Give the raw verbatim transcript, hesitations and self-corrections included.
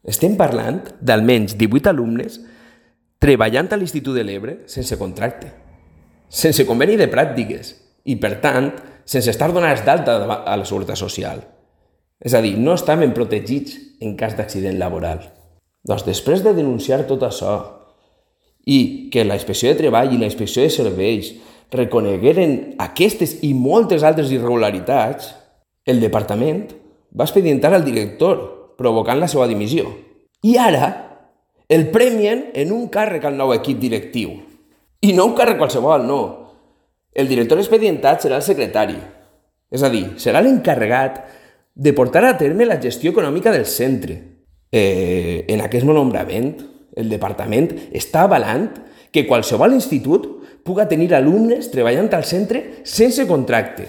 Estem parlant d'almenys divuit alumnes treballant a l'Institut de l'Ebre sense contracte, sense conveni de pràctiques i, per tant, sense estar donats d'alta a la Seguretat Social. És a dir, no estaven protegits en cas d'accident laboral. Doncs després de denunciar tot això i que la Inspecció de Treball i la Inspecció de Serveis reconegueren aquestes i moltes altres irregularitats, el departament va expedientar al director, provocant la seva dimissió. I ara el premien en un càrrec al nou equip directiu. I no un càrrec qualsevol, no. El director expedientat serà el secretari. És a dir, serà l'encarregat de portar a terme la gestió econòmica del centre. Eh, en aquest nombrament, el departament està avalant que qualsevol institut puga tenir alumnes treballant al centre sense contracte.